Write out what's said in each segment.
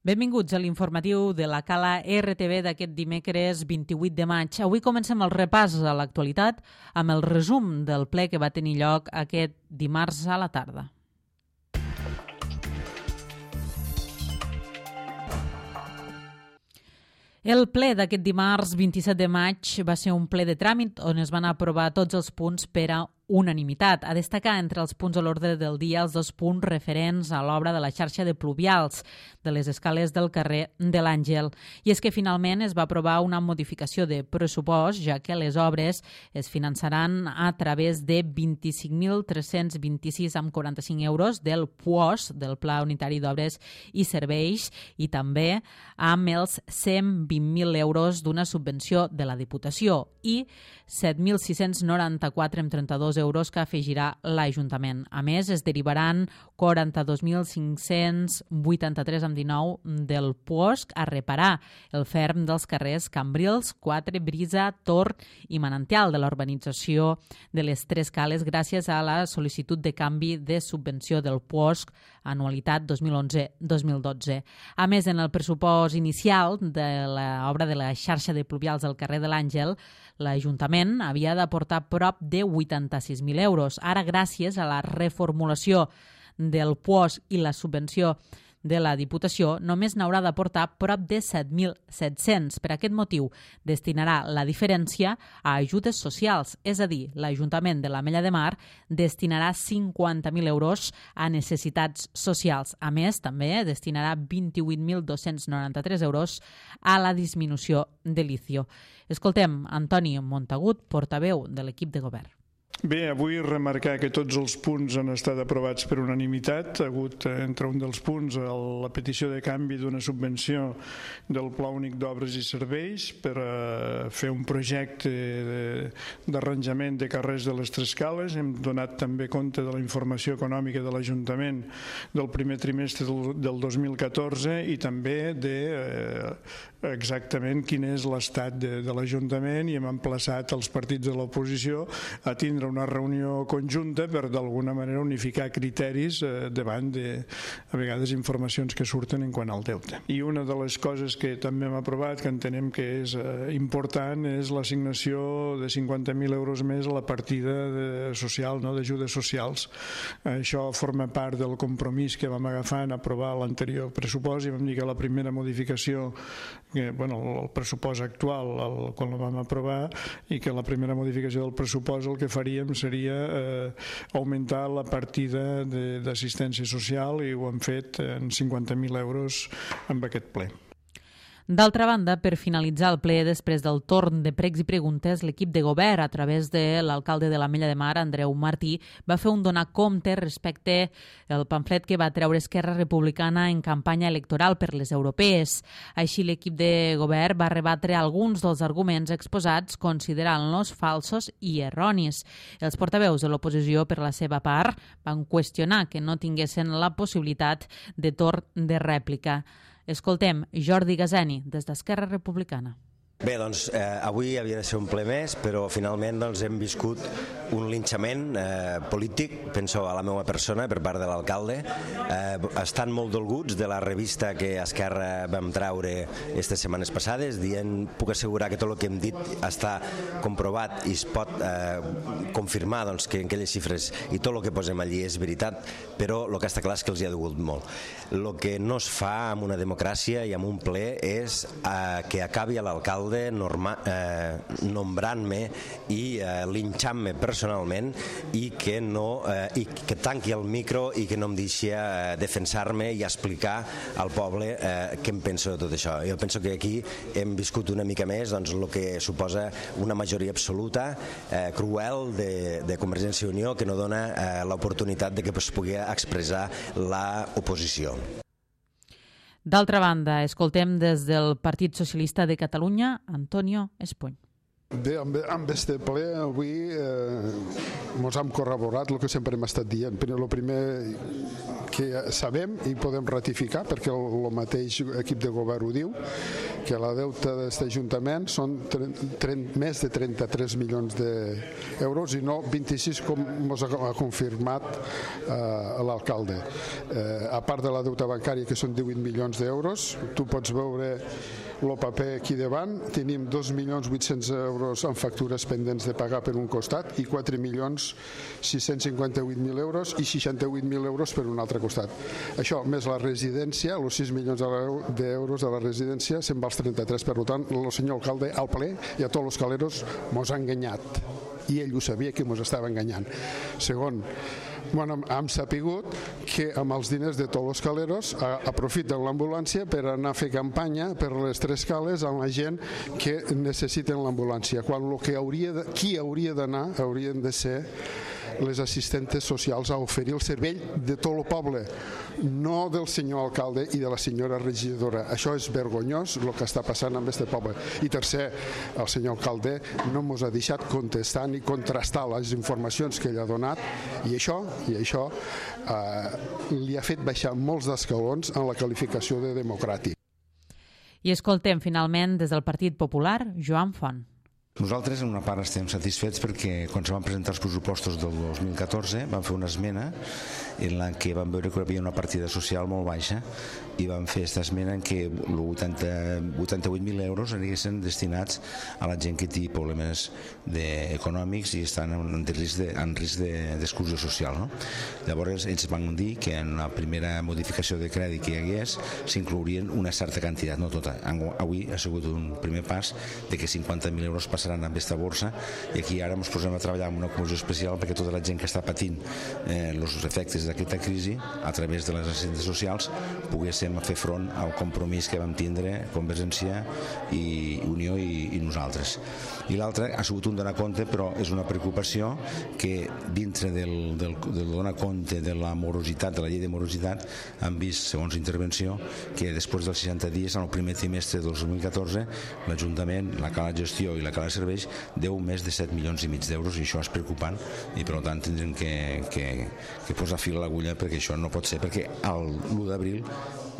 Benvinguts a l'informatiu de la Cala RTV d'aquest dimecres 28 de maig. Avui comencem el repàs a l'actualitat amb el resum del ple que va tenir lloc aquest dimarts a la tarda. El ple d'aquest dimarts 27 de maig va ser un ple de tràmit on es van aprovar tots els punts per a unanimitat. A destacar entre els punts a l'ordre del dia els 2 punts referents a l'obra de la xarxa de pluvials de les escales del carrer de l'Àngel. I és que finalment es va aprovar una modificació de pressupost, ja que les obres es finançaran a través de 25.326,45 euros del PUOS, del Pla Unitari d'Obres i Serveis, i també amb els 120.000 euros d'una subvenció de la Diputació i 7.694,32 euros que afegirà l'Ajuntament. A més, es derivaran 42.583,19 del PUOSC a reparar el ferm dels carrers Cambrils, 4, Brisa, Tor i Manantial de la urbanització de les 3 cales gràcies a la sol·licitud de canvi de subvenció del PUOSC anualitat 2011-2012. A més, en el pressupost inicial de l'obra de la xarxa de pluvials del carrer de l'Àngel, l'Ajuntament havia d'aportar prop de 86.000 euros. Ara, gràcies a la reformulació del PUOSC i la subvenció de la Diputació, només n'haurà d'aportar prop de 7.700. Per aquest motiu, destinarà la diferència a ajudes socials, és a dir, l'Ajuntament de l'Ametlla de Mar destinarà 50.000 euros a necessitats socials. A més, també destinarà 28.293 euros a la disminució de l'ICIO. Escoltem Antoni Montagut, portaveu de l'equip de govern. Bé, avui remarcar que tots els punts han estat aprovats per unanimitat. Ha hagut entre un dels punts la petició de canvi d'una subvenció del Pla Únic d'Obres i Serveis per fer un projecte d'arranjament de carrers de les 3 cales. Hem donat també compte de la informació econòmica de l'Ajuntament del primer trimestre del 2014 i també de exactament quin és l'estat de l'Ajuntament, i hem emplaçat els partits de l'oposició a tindre una reunió conjunta per d'alguna manera unificar criteris davant de, a vegades, informacions que surten en quant al deute. I una de les coses que també hem aprovat, que entenem que és important, és l'assignació de 50.000 euros més a la partida social, d'ajudes socials. Això forma part del compromís que vam agafar en aprovar l'anterior pressupost, i vam dir que la primera modificació, el pressupost actual, quan el vam aprovar, i que la primera modificació del pressupost el que faríem seria augmentar la partida d'assistència social, i ho hem fet en 50.000 euros amb aquest ple. D'altra banda, per finalitzar el ple després del torn de pregs i preguntes, l'equip de govern, a través de l'alcalde de l'Ametlla de Mar, Andreu Martí, va fer un donar compte respecte al pamflet que va treure Esquerra Republicana en campanya electoral per les europees. Així, l'equip de govern va rebatre alguns dels arguments exposats, considerant-los falsos i erronis. Els portaveus de l'oposició, per la seva part, van qüestionar que no tinguessin la possibilitat de torn de rèplica. Escoltem Jordi Gazeni, des d'Esquerra Republicana. Bé, doncs avui havia de ser un ple més, però finalment hem viscut un linxament polític, penso a la meva persona, per part de l'alcalde. Estan molt dolguts de la revista que Esquerra vam treure aquestes setmanes passades, dient, puc assegurar que tot el que hem dit està comprovat i es pot confirmar que aquelles xifres i tot el que posem allí és veritat, però el que està clar és que els hi ha dolgut molt. El que no es fa en una democràcia i en un ple és que acabi l'alcalde nombrant-me i linxant-me personalment i que tanqui el micro i que no em deixi defensar-me i explicar al poble què em penso de tot això. Jo penso que aquí hem viscut una mica més el que suposa una majoria absoluta, cruel, de Convergència i Unió, que no dona l'oportunitat de que es pugui expressar l'oposició. D'altra banda, escoltem des del Partit Socialista de Catalunya, Antonio Espuny. Bé, amb este ple avui ens hem corroborat el que sempre hem estat dient. El primer que sabem i podem ratificar, perquè el mateix equip de govern ho diu, que la deuta d'aquest Ajuntament són més de 33 milions d'euros i no 26 com ens ha confirmat l'alcalde. A part de la deuta bancària, que són 18 milions d'euros, tu pots veure el paper aquí davant, tenim 2.800.000 euros en factures pendents de pagar per un costat i 4.658.000 euros i 68.000 euros per un altre costat. Això, més la residència, els 6 milions d'euros de la residència, se'n va als 33. Per tant, el senyor alcalde al ple i a tots els caleros mos ha enganyat. I ell ho sabia que mos estava enganyant. Segon, hem sapigut que amb els diners de tots els caleros aprofiten l'ambulància per anar a fer campanya per les 3 cales amb la gent que necessiten l'ambulància, quan qui hauria d'anar haurien de ser les assistentes socials a oferir el servei de tot el poble, no del senyor alcalde i de la senyora regidora. Això és vergonyós el que està passant amb aquest poble. I tercer, el senyor alcalde no ens ha deixat contestar ni contrastar les informacions que ell ha donat i això li ha fet baixar molts d'escalons en la qualificació de democràtic. I escoltem finalment des del Partit Popular, Joan Font. Nosaltres en una part estem satisfets perquè quan se van presentar els pressupostos del 2014 vam fer una esmena en la que vam veure que hi havia una partida social molt baixa i vam fer aquesta esmena en què 88.000 euros anirien destinats a la gent que té problemes econòmics i estan en risc d'exclusió social. No? Llavors ells van dir que en la primera modificació de crèdit que hi hagués s'inclourien una certa quantitat, no tota. Avui ha sigut un primer pas de que 50.000 euros passaran amb aquesta borsa i aquí ara ens posem a treballar en una comissió especial perquè tota la gent que està patint els efectes d'aquesta crisi a través de les assistents socials poguéssim fer front al compromís que vam tindre Convergència i Unió i nosaltres. I l'altre ha sigut un donar compte, però és una preocupació que dintre del donar compte de la morositat, de la llei de morositat, han vist, segons intervenció, que després dels 60 dies, en el primer trimestre del 2014, l'Ajuntament, la cala de gestió i la cala de serveis deu més de 7 milions i mig d'euros i això és preocupant i per tant tindrem que posar fil a l'agulla perquè això no pot ser, perquè l'1 d'abril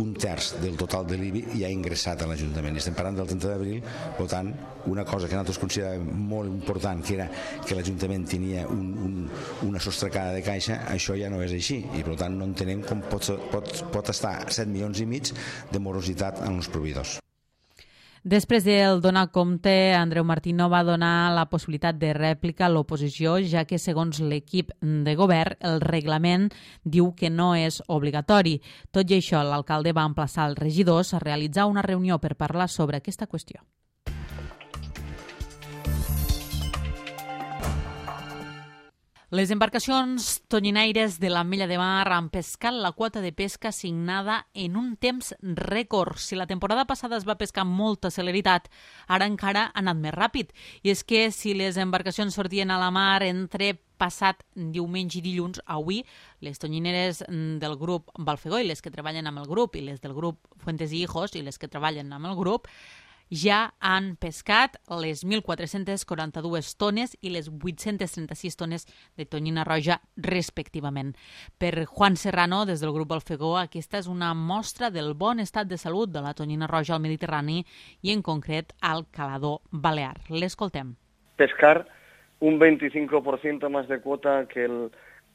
un terç del total de l'IBI ja ha ingressat a l'Ajuntament i estem parlant del 30 d'abril, per tant una cosa que nosaltres consideràvem molt important que era que l'Ajuntament tenia una sostracada de caixa, això ja no és així i per tant no entenem com pot estar 7 milions i mig de morositat en els proveïdors. Després del donar compte, Andreu Martino va donar la possibilitat de rèplica a l'oposició, ja que, segons l'equip de govern, el reglament diu que no és obligatori. Tot i això, l'alcalde va emplaçar els regidors a realitzar una reunió per parlar sobre aquesta qüestió. Les embarcacions tonyinaires de l'Ametlla de Mar han pescat la quota de pesca assignada en un temps rècord. Si la temporada passada es va pescar amb molta celeritat, ara encara ha anat més ràpid. I és que si les embarcacions sortien a la mar entre passat diumenge i dilluns, avui les tonyineres del grup Balfegó i les que treballen amb el grup i les del grup Fuentes i Hijos i les que treballen amb el grup ja han pescat les 1.442 tones i les 836 tones de tonyina roja respectivament. Per Juan Serrano, des del grup Balfegó, aquesta és una mostra del bon estat de salut de la tonyina roja al Mediterrani i en concret al calador balear. L'escoltem. Pescar un 25% más de cuota que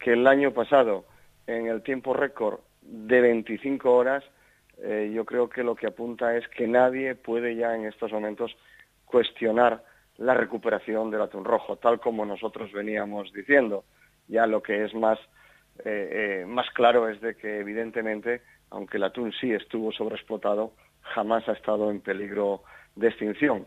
el año pasado en el tiempo récord de 25 horas. Yo creo que lo que apunta es que nadie puede ya en estos momentos cuestionar la recuperación del atún rojo, tal como nosotros veníamos diciendo. Ya lo que es más claro es de que evidentemente, aunque el atún sí estuvo sobreexplotado, jamás ha estado en peligro de extinción.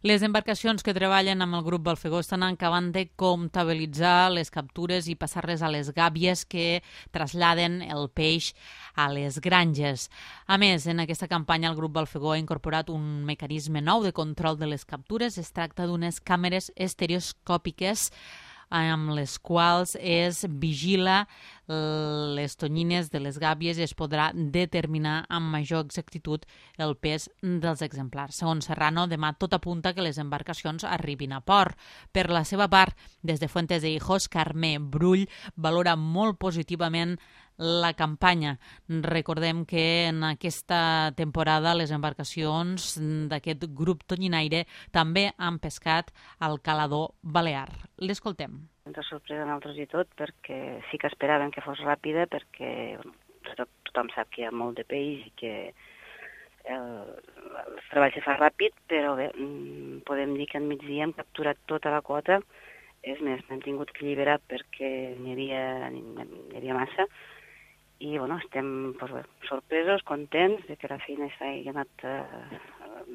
Les embarcacions que treballen amb el grup Balfegó estan acabant de comptabilitzar les captures i passar-les a les gàbies que traslladen el peix a les granges. A més, en aquesta campanya el grup Balfegó ha incorporat un mecanisme nou de control de les captures. Es tracta d'unes càmeres estereoscòpiques amb les quals es vigila les tonyines de les gàbies i es podrà determinar amb major exactitud el pes dels exemplars. Segons Serrano, demà tot apunta que les embarcacions arribin a port. Per la seva part, des de Fuentes de Hijos, Carme Brull valora molt positivament la campanya. Recordem que en aquesta temporada les embarcacions d'aquest grup tonyinaire també han pescat al calador balear. L'escoltem. Ens ha sorprès a nosaltres i tot, perquè sí que esperàvem que fos ràpida, perquè tothom sap que hi ha molt de peix i que el treball se fa ràpid, però bé, podem dir que al migdia hem capturat tota la quota. És més, n'hem tingut que alliberar perquè n'hi havia massa. I estem sorpresos, contents de que la feina hagi anat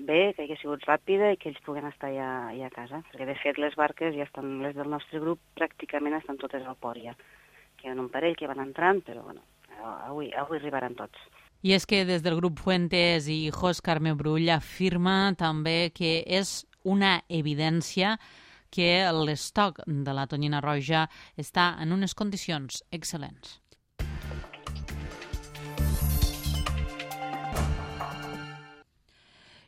bé, que hagi sigut ràpida i que ells puguen estar ja a casa. Perquè, de fet, les barques ja estan, les del nostre grup, pràcticament estan totes al port ja. Queden un parell que van entrant, però avui arribaran tots. I és que des del grup Fuentes i Hijos, Carme Brull afirma també que és una evidència que l'estoc de la tonyina roja està en unes condicions excel·lents.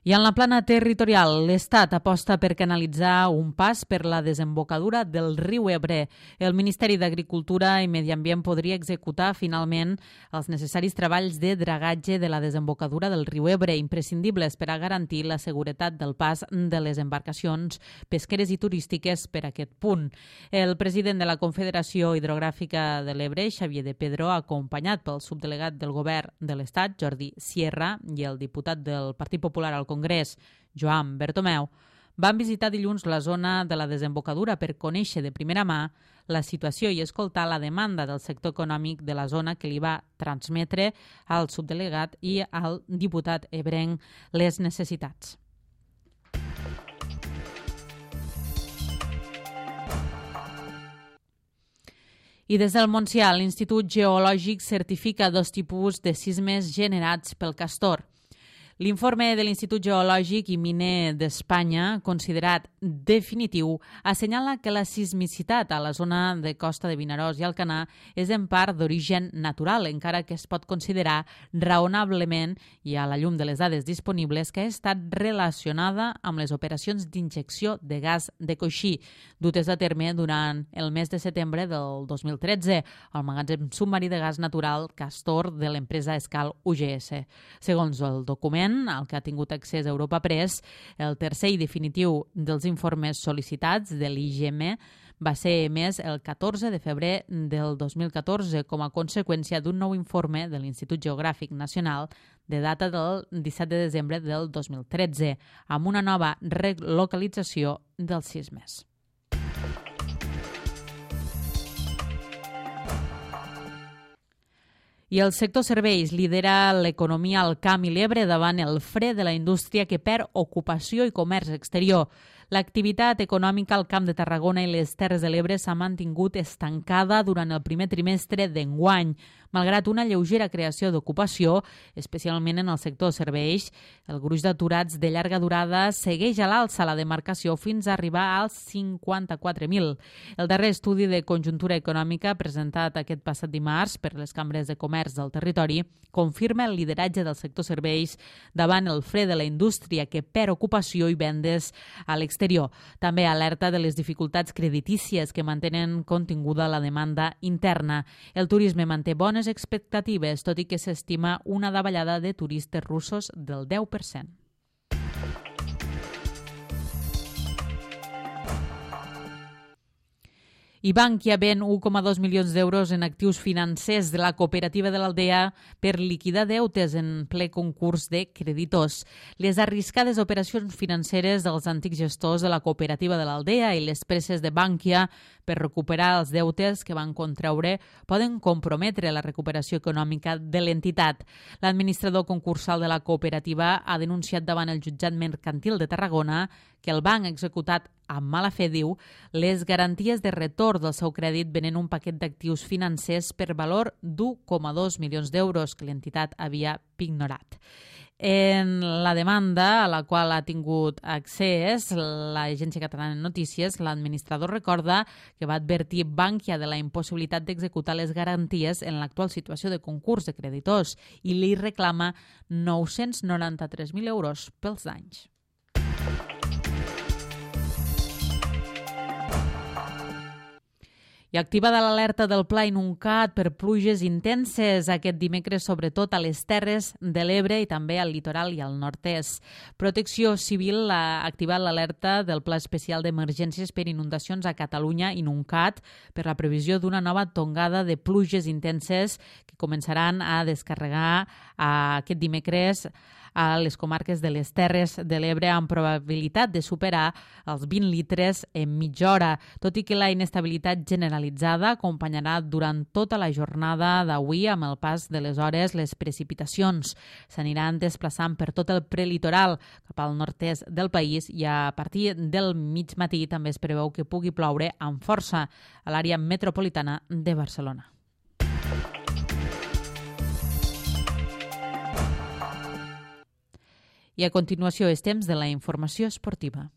I en la plana territorial, l'Estat aposta per canalitzar un pas per la desembocadura del riu Ebre. El Ministeri d'Agricultura i Medi Ambient podria executar finalment els necessaris treballs de dragatge de la desembocadura del riu Ebre, imprescindibles per a garantir la seguretat del pas de les embarcacions pesqueres i turístiques per aquest punt. El president de la Confederació Hidrogràfica de l'Ebre, Xavier de Pedro, acompanyat pel subdelegat del Govern de l'Estat, Jordi Sierra, i el diputat del Partit Popular al Congrés, Joan Bertomeu, van visitar dilluns la zona de la desembocadura per conèixer de primera mà la situació i escoltar la demanda del sector econòmic de la zona que li va transmetre al subdelegat i al diputat ebrenc les necessitats. I des del Montsià, l'Institut Geològic certifica 2 tipus de sismes generats pel castor. L'informe de l'Institut Geològic i Miner d'Espanya, considerat definitiu, assenyala que la sismicitat a la zona de costa de Vinaròs i Alcanar és en part d'origen natural, encara que es pot considerar raonablement, i a la llum de les dades disponibles, que ha estat relacionada amb les operacions d'injecció de gas de coixí, dutes a terme durant el mes de setembre del 2013 al magatzem submarí de gas natural Castor de l'empresa Escal UGS. Segons el document al que ha tingut accés a Europa Press, el tercer i definitiu dels informes sol·licitats de l'IGM va ser emès el 14 de febrer del 2014 com a conseqüència d'un nou informe de l'Institut Geogràfic Nacional de data del 17 de desembre del 2013, amb una nova relocalització dels sismes. I el sector serveis lidera l'economia al Camp i l'Ebre davant el fre de la indústria que perd ocupació i comerç exterior. L'activitat econòmica al Camp de Tarragona i les Terres de l'Ebre s'ha mantingut estancada durant el primer trimestre d'enguany, malgrat una lleugera creació d'ocupació, especialment en el sector serveis. El gruix d'aturats de llarga durada segueix a l'alça la demarcació fins a arribar als 54.000. El darrer estudi de conjuntura econòmica presentat aquest passat dimarts per les cambres de comerç del territori confirma el lideratge del sector serveis davant el fre de la indústria que perd ocupació i vendes a l'exterior. També alerta de les dificultats creditícies que mantenen continguda la demanda interna. El turisme manté bones expectatives, tot i que s'estima una davallada de turistes russos del 10%. I Bankia ven 1,2 milions d'euros en actius financers de la cooperativa de l'Aldea per liquidar deutes en ple concurs de creditors. Les arriscades operacions financeres dels antics gestors de la cooperativa de l'Aldea i les presses de Bankia per recuperar els deutes que van contraure poden comprometre la recuperació econòmica de l'entitat. L'administrador concursal de la cooperativa ha denunciat davant el jutjat mercantil de Tarragona que el banc ha executat amb mala fe, diu, les garanties de retorn del seu crèdit venent un paquet d'actius financers per valor d'1,2 milions d'euros que l'entitat havia pignorat. En la demanda a la qual ha tingut accés l'Agència Catalana de Notícies, l'administrador recorda que va advertir Bankia de la impossibilitat d'executar les garanties en l'actual situació de concurs de creditors i li reclama 993.000 euros pels danys. I activada l'alerta del Pla Inuncat per pluges intenses aquest dimecres, sobretot a les Terres de l'Ebre i també al litoral i al nord-est. Protecció Civil ha activat l'alerta del Pla Especial d'Emergències per Inundacions a Catalunya, Inuncat, per la previsió d'una nova tongada de pluges intenses que començaran a descarregar aquest dimecres a les comarques de les Terres de l'Ebre amb probabilitat de superar els 20 litres en mitja hora, tot i que la inestabilitat generalitzada acompanyarà durant tota la jornada d'avui amb el pas de les hores les precipitacions. S'aniran desplaçant per tot el prelitoral cap al nord-est del país i a partir del mig matí també es preveu que pugui ploure amb força a l'àrea metropolitana de Barcelona. I a continuació és temps de la informació esportiva.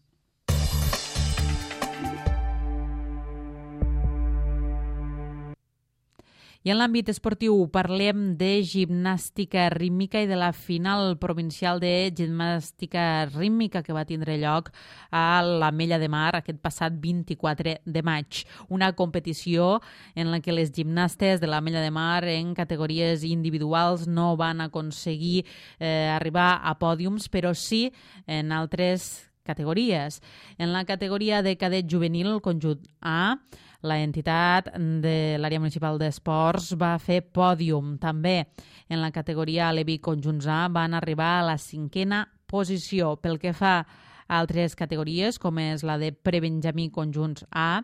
I en l'àmbit esportiu parlem de gimnàstica rítmica i de la final provincial de gimnàstica rítmica que va tindre lloc a l'Ametlla de Mar aquest passat 24 de maig. Una competició en la que les gimnastes de l'Ametlla de Mar en categories individuals no van aconseguir arribar a pòdiums, però sí en altres categories. En la categoria de cadet juvenil, el conjunt A, la entitat de l'àrea municipal d'esports va fer pòdium. També en la categoria Alevi conjunts A van arribar a la 5a posició. Pel que fa a altres categories, com és la de prebenjamí conjunts A,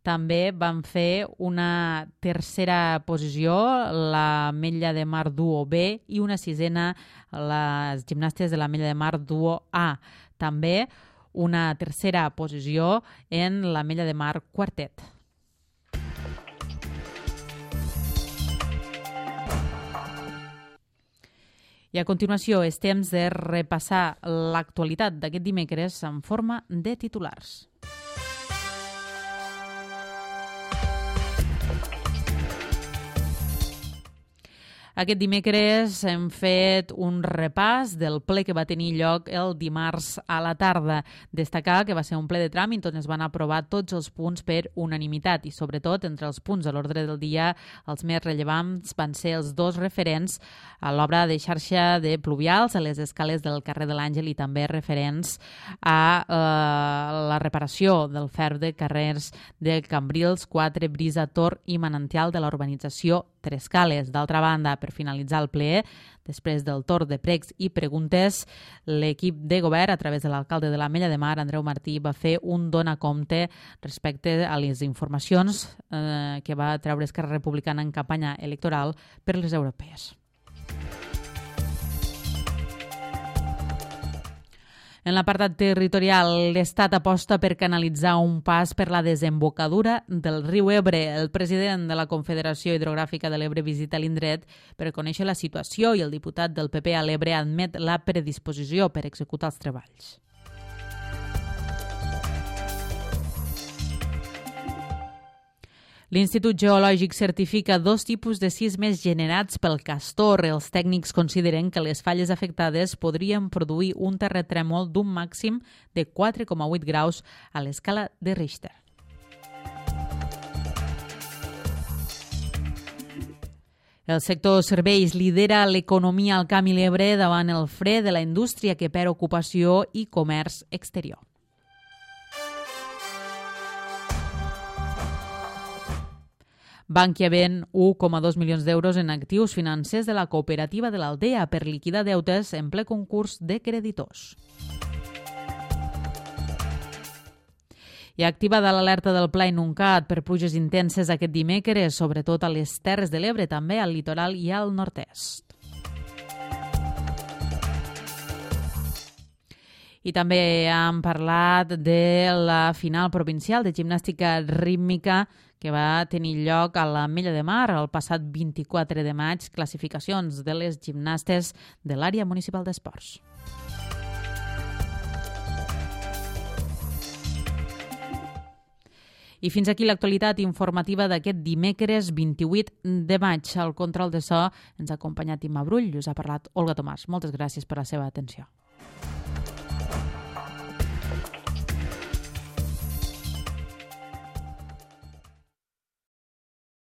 també van fer una 3a posició l'Ametlla de Mar Duo B i una 6a les gimnastes de l'Ametlla de Mar Duo A. També una 3a posició en l'Ametlla de Mar Quartet. I a continuació és temps de repassar l'actualitat d'aquest dimecres en forma de titulars. Aquest dimecres hem fet un repàs del ple que va tenir lloc el dimarts a la tarda. Destacar que va ser un ple de tràmit on es van aprovar tots els punts per unanimitat i, sobretot, entre els punts de l'ordre del dia, els més rellevants van ser els dos referents a l'obra de xarxa de pluvials a les escales del carrer de l'Àngel i també referents a la reparació del ferm de carrers de Cambrils, 4, Brisa, Tor i Manantial de la urbanització Tres Cales. D'altra banda, per finalitzar el ple, després del torn de pregs i preguntes, l'equip de govern, a través de l'alcalde de l'Ametlla de Mar, Andreu Martí, va fer un donacompte respecte a les informacions que va treure Esquerra Republicana en campanya electoral per les europees. En l'apartat territorial, l'Estat aposta per canalitzar un pas per la desembocadura del riu Ebre. El president de la Confederació Hidrogràfica de l'Ebre visita l'indret per conèixer la situació i el diputat del PP a l'Ebre admet la predisposició per executar els treballs. L'Institut Geològic certifica 2 tipus de sismes generats pel castor. Els tècnics consideren que les falles afectades podrien produir un terratrèmol d'un màxim de 4,8 graus a l'escala de Richter. El sector serveis lidera l'economia al Camp i l'Ebre davant el fre de la indústria que perd ocupació i comerç exterior. Bankia ven 1,2 milions d'euros en actius financers de la cooperativa de l'Aldea per liquidar deutes en ple concurs de creditors. I activada l'alerta del Pla Inuncat per pluges intenses aquest dimecres, sobretot a les Terres de l'Ebre, també al litoral i al nord-est. I també hem parlat de la final provincial de gimnàstica rítmica que va tenir lloc a l'Ametlla de Mar el passat 24 de maig, classificacions de les gimnastes de l'àrea municipal d'esports. I fins aquí l'actualitat informativa d'aquest dimecres 28 de maig. Al control de so ens ha acompanyat Imma Brull i us ha parlat Olga Tomàs. Moltes gràcies per la seva atenció.